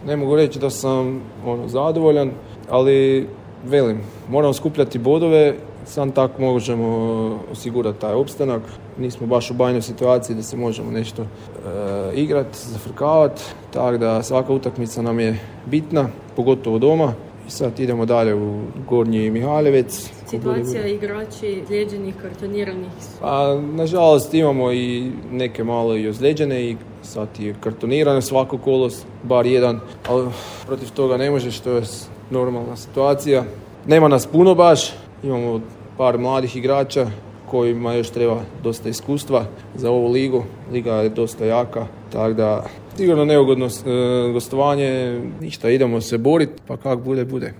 Ne mogu reći da sam zadovoljan, ali velim, moramo skupljati bodove, sam tako možemo osigurati taj opstanak. Nismo baš u bajnoj situaciji da se možemo nešto igrati, zafrkavati, tako da svaka utakmica nam je bitna, pogotovo doma. I sad idemo dalje u Gornji Mihaljevec. Situacija igrači ozlijeđenih, kartoniranih? Pa, nažalost imamo i neke malo i ozlijeđene i sad je kartonirano svako kolo, bar jedan, ali protiv toga ne može, što je normalna situacija. Nema nas puno baš, imamo par mladih igrača kojima još treba dosta iskustva za ovu ligu. Liga je dosta jaka, tako da sigurno neugodno gostovanje, ništa, idemo se boriti, pa kako bude, bude.